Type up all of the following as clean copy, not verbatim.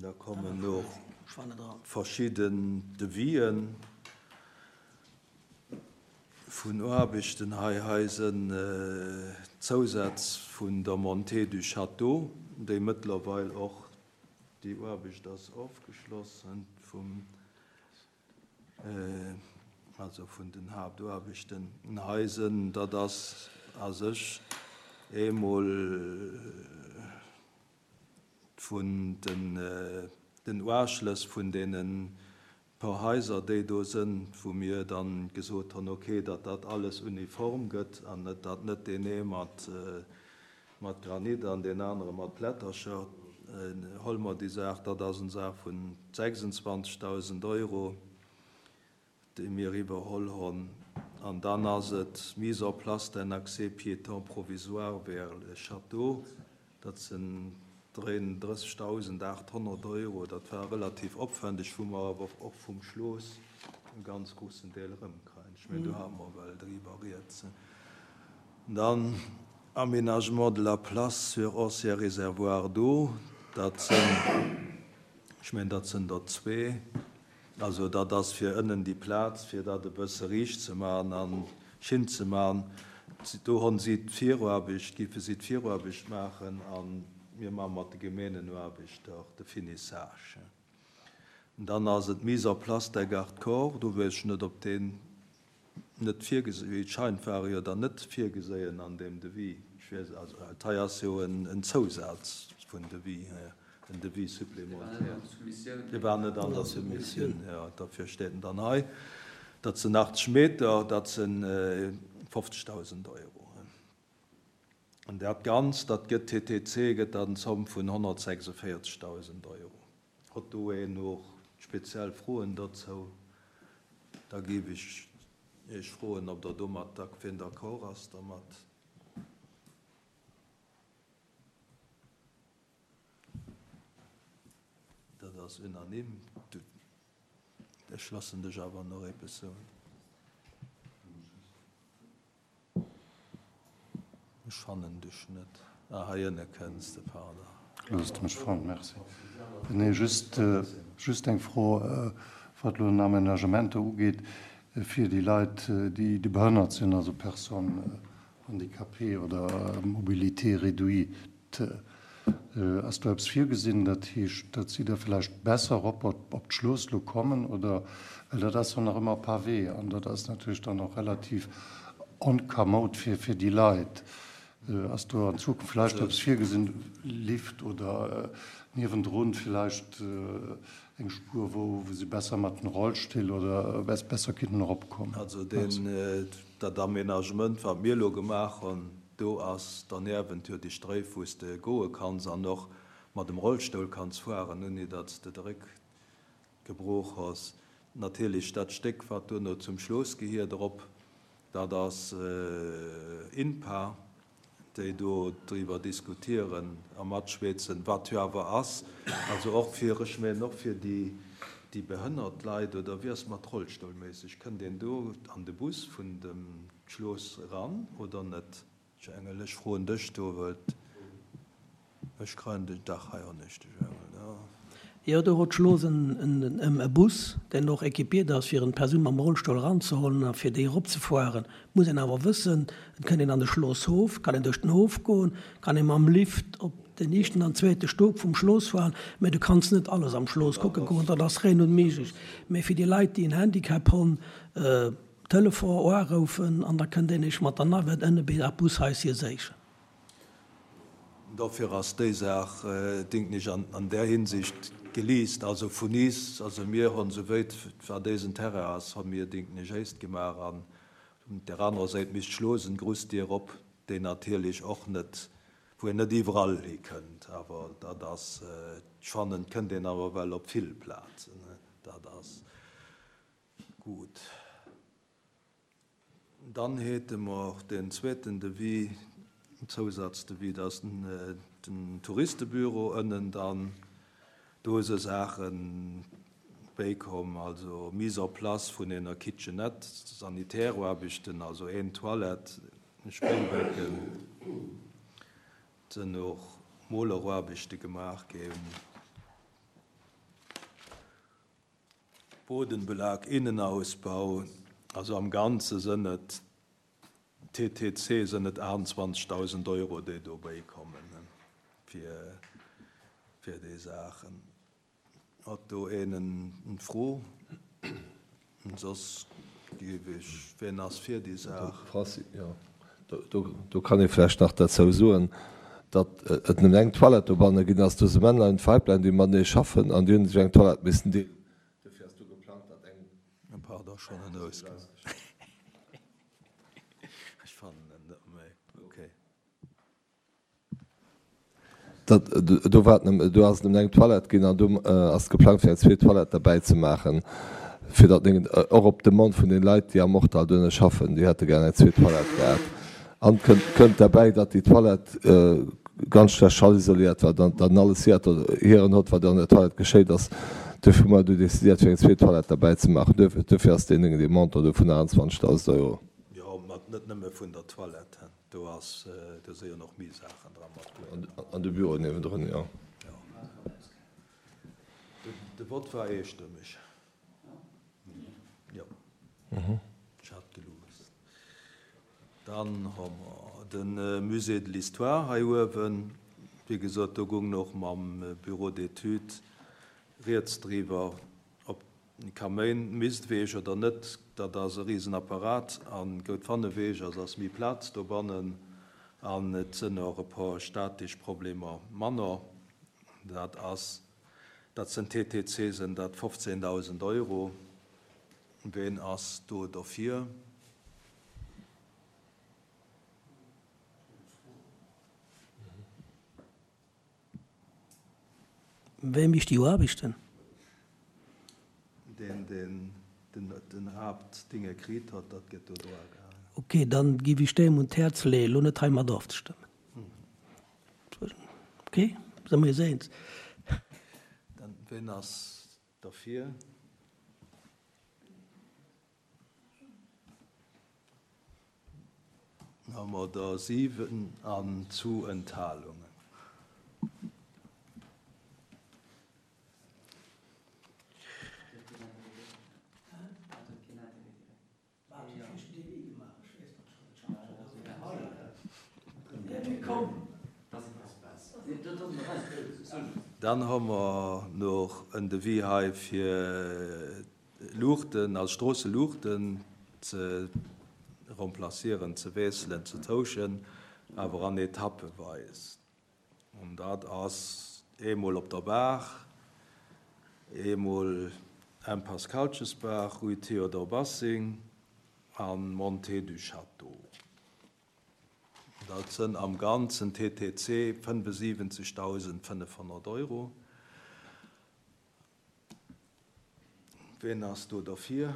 Da kommen och verschidden Devisen vun Aarbechten hei. Hei sënn d'Zousätz vun der Montée du Château, déi mëttlerweil och, déi Aarbecht ass ofgeschloss vum, also vun den Haaptaarbechten hei sënn, dat ass a sech eemol vun den Uaschlëss vun deene paar Haiser, déi do sënn, wou mir dann gesot hunn, okay, datt dat alles uniform gëtt an net, datt net deen ee mat mat Granit an deen anere mat Plättercher. Huele mer déi Saach, dat ass eng Saach vun 26.000 Euro, déi mir iwwerholl honn. An dann ass et d'Mise en place d'un accès piéton provisoire vers le château, dat sinn 33.800 Euro. Dat war relativ opwändeg, wou mer awer och vum Schloos e ganz groussen Deel erëmkreien. Ech mengen, do hate mer well driwwer rieds. Dann Aménagement de la place sur ancien réservoir d'eau, dat sinn, ech mengen, dat sinn der zwee. Also dat ass fir ënnen déi Plaz, fir dat e bësse riicht ze maachen a schin ze maachen. Do honn si d'Viruarbecht, géife si d'Viruarbecht maachen a mir maache mat de Gemeengenaarbechter de Finissage. Dann ass et d'Mise en place der Garde-corps, do weess ech net, ob deen net virgesi, wéi et scheint, war e jo dann net virgeséien an deem Devis. Ech weess, also dat hei ass jo en Zousaz vun Devis, en Devis supplémentaire. Dee war net an der Soumissioun, jo, derfir steet en dann hei. Dat sinn 80 Meter, dat si 50.000 Euro. An dat Ganzt, dat gëtt TTC, gëtt dat en Zomm vun 146.000 Euro. Hott do een och speziell Froen dozou, da géif ech Iech froen, ob Der domat, wien d'accord ass dermat. Dat ass unanime. Ech loossen dech awer nach eppes soen. Ech fannen dech net. Ah, hei ënne kënns de, pardon. Elo hues de mech fonnt, merci. Nee, just, just eng Fro, wat elo den Aménagement do ugeet, fir déi Leit, déi, déi behënnert sinn, also Personnes handicapées oder mobilité réduite. Ass do eppes virgesinn, dat heescht, datt si da vläicht besser erop op d'Schlooss elo kommen, oder? Well dat ass jo nach ëmmer Pavé an dat ass natierlech dann och relativ onkamoud fir fir déi Leit. Ass do an Zukunft vläicht eppes virgesinn, Lift oder niewendrun vläicht eng Spuer, wou si besser mat den Rollstill oder besser kinnten eropkommen? Also deen, dat Aménagement, wat mir elo gemaach hunn, do ass derniewent jo déi Stréif, wou s de goe kanns an och mat dem Rollstoul kanns fueren, ouni datt s de de Réck gebrooch hues. Natierlech dat Stéck, wat duerno zum Schloos gehiert erop, dat ass INPA. déi do driwwer diskutieren a matschwätzen, wat jo awer ass, also och fir, ech mengen och fir déi, déi behënnert Leit, oder wéi ass et mat Rollstoulméisseg, kënnt een do an de Bus vun dem Schloss eran oder net? Här Engel, ech froen dech do, well Ech kreien den Dach hei anescht, ech Engel, jo. Jo, do hott Schloos en e Bus, deen och équipiert ass, fir en Persoun mam Rollstull eranzehollen a fir déi eropzefuaren. Muss een awer wëssen, et kënnt een an de Schlosshof, kann een duerch den Hof goen, kann ee mam Lift op den éischten an zweete Stock vum Schloss fuaren, mä du kanns net alles am Schloss kucke goen, dat ass rein unméiglech. Mä fir déi Leit, déi en Handicap honn, Telefon uaroufen an da kënnt een eech mat der Navette ënne bis ab Bushaisje séichen. Dofir ass déi Saach, denken ech, an där Hinsicht geliist. Also vun is, also mir hunn, souwéit wat éisen Terrain ass, hu mir, denken ech, éist gemaach. An un där anerer Säit misst Schlosen Grussdier op, déi natierlech och net, wou een net iwwerall hikënnt. Awer dat ass, ech fannen, et kënnt een awer ewell op vill Plazen. Dat ass gutt. Dann hate mer deen zweeten Devis, Zousazdevis, dat ass den Touristebüro ënnen dann. Do si Saache béikomm, also Mise en place vun enger Kitchenette, Sanitäraarbechten, also een Toilette, e Spéibecken. Et sinn och Moleraarbechte gemaach ginn. Bodenbelag, Innenausbau, also am Ganze sënn et TTC sënn et 28.000 Euro, déi dobäi kommen fir fir déi Saachen. Hat do een en Fro? Soss géif ech, wien ass fir déi Saach? Francis, Jo, do kann ee vläicht nach derzou soen, datt et nëmmen eng Toilette dobanne ginn ass. Do si Männlein an Weiblein, déi matenee schaffen an déi hunn sech eng Toilette missen deelen. Dofir ass do geplangt, datt eng. Pardon, schonn en Ausgang. Ech fannen en net méi. Okay. Dat, do war et, do ass et nëmmen eng Toilette ginn an do ass geplangt fir eng zweet Toilette derbäi ze maachen, fir datt néngen, och op Demande vun den Leit déi am Mortal duerno schaffen, déi hätte gär eng zweet Toilette gehat. An et kënnt, kënnt derbäi, datt déi Toilette ganz schlecht schallisoléiert war, datt en alles hiert, hieren hott wat an der Toilette geschéit ass. Duerfir hu mer du decidéiert fir eng zweet Toilette derbäi ze maachen. Duerfir ass deen, dee Montant do vun 28.000 Euro. Jo, mä net nëmme vun der Toilette. Do ass, do si jo nach méi Saachen dra mat do. An de Büro niewendrun, jo. Jo. De Vott war eestëmmeg. Jo. Ech hat geluusst. Dann hu mer de Musée de l'Histoire hei uewen. Wéi gesot, do goung och mam Bureau d'études rieds driwwer, ob Kaméin misst eweg oder net, dat ass e riesen Apparat an goud wann eweg ass, ass méi Plaz dobannen an et sënn och e por statisch Problemer manner. Dat ass, dat sënn TTC sënn dat 15.000 Euro. Ween ass do derfir? Wee mécht déi Aarbechten? Deen, deen den Haaptdinge kritt hott, dat gëtt do dra gehaangen. Ok, dann giff ech deem un d'Häerz leeën, elo net heimat ofzestëmmen. Ok, si mer eis eens. Dann, ween ass derfir? Hu mer der 7 an zu Enthalungen. Dann hu mer nach en Devis hei fir Luuchten, also Stroosseluuchten ze remplacieren, ze wiesselen, ze tauschen, awer an Etappeweis. An dat ass eemol op der Baach, eemol Impasse Kalchesbaach, Rue Théodore Bassing a Montée du Château. Dat sënn am Ganzen TTC 75.500 Euro. Ween ass do derfir?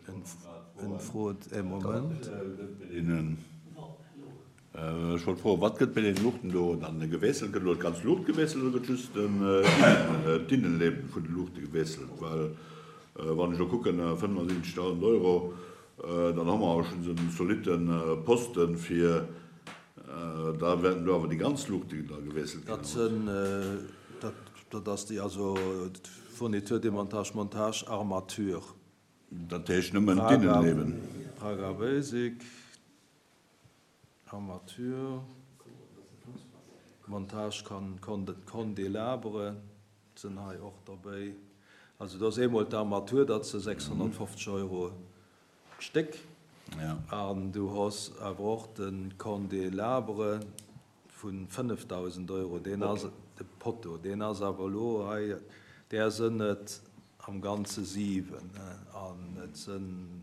En frot e Moment. Ech wollt froen, wat gëtt bei den Luuchten do dann gewiesselt? Gëtt elo d'ganz Luucht gewiesselt oder gëtt just d'Innenleben vun de Luuchte gewiesselt? Well wann ech elo kucken, 75.000 Euro, dann hu mer awer schonns en zolitte Posten fir Da wäerten do awer déi ganz Luuchten da gewiesselt ginn, Dat sënn, dat, dat ass déi, also Fourniture, Demontage, Montage, Armature. Dat heescht nëmmen d'Innenleben? Praga Basic, Armature, Montage Candélabre sënn hei och derbéi. Also do ass eemol d'Armature, dat se 650 Euro D'Stéck. An du hues awer och de Candélabre vu 5.000 Euro, deen ass, de Poteau, deen ass awer elo hei, där sënn et am Ganze 7, an et sënn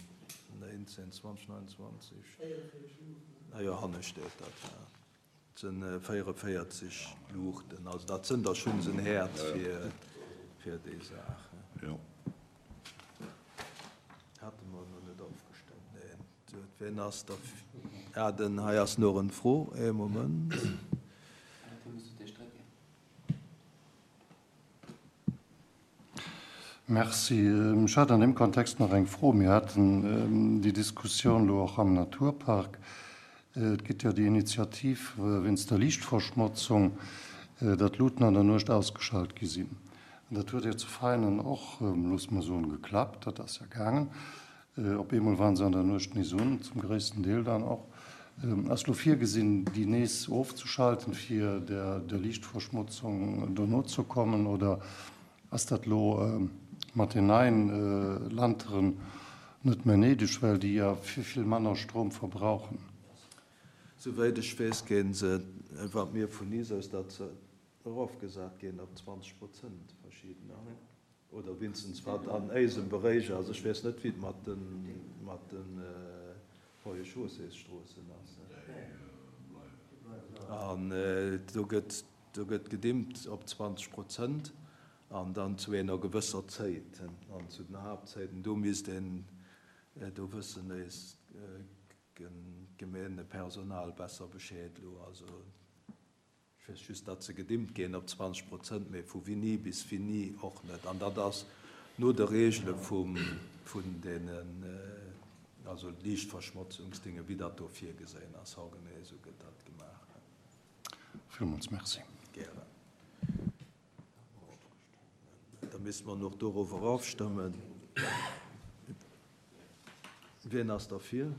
19, 20, 29, ah jo, hanne steet dat, jo. Et sënn 44 Luuchten, also dat sënn der schonns en Häert fir déi Saach. Hate mer elo net ofgestëmmt, neen. Wien ass der? Ah, den hei ass nach en Fro, ee Moment. Merci. Ech hat an deem Kontext nach eng Fro. Mir haten déi Diskussioun elo och am Naturpark. Et gëtt jo déi Initiativ wéinst der Liichtverschmotzung, datt d'Luuten an der Nuecht ausgeschalt gi sinn. An dat huet jo zu Veinen och, loosse mer soen, geklappt. Dat ass jo gaangen. Op eemol waren se an der Nuecht nees un, zum gréissten Deel dann och. Ass lo virgesinn, déi nees ofzeschalten, fir der Liichtverschmotzung do nozekommen, oder ass dat lo mat den neien Lanteren net méi néideg, well déi ja vill, vill manner Stroum verbrauchen? Souwäit ech weess, ginn se, wat mir vun is aus, datt se erofgesat ginn op 20 Prozent, verschiddener. Oder winstens wat an éisem Beréich ass. Ech weess net, wéi et mat de mat den Voies-Chaussées-Stroossen ass. An do gëtt do gëtt gedimmt op 20 Prozent an dann zu enger gewësser Zéit. An zu den Haaptzéiten, do misst een, do wëssen éis Gemeengepersonal besser Bescheed elo. Also. Ech weess just, datt se gedimmt ginn op 20 Prozent, mee vu wini bis wini och net. An dat ass no de Regele vun deenen, also Liichtverschmotzungsdinge, wéi dat do virgeséien ass. Haugenee esou gëtt dat gemaach. Villmools Merci. Gären. Da misste mer och dorower ofstëmmen. Wien ass derfir?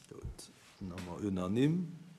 Gutt, dann hu mer unanime.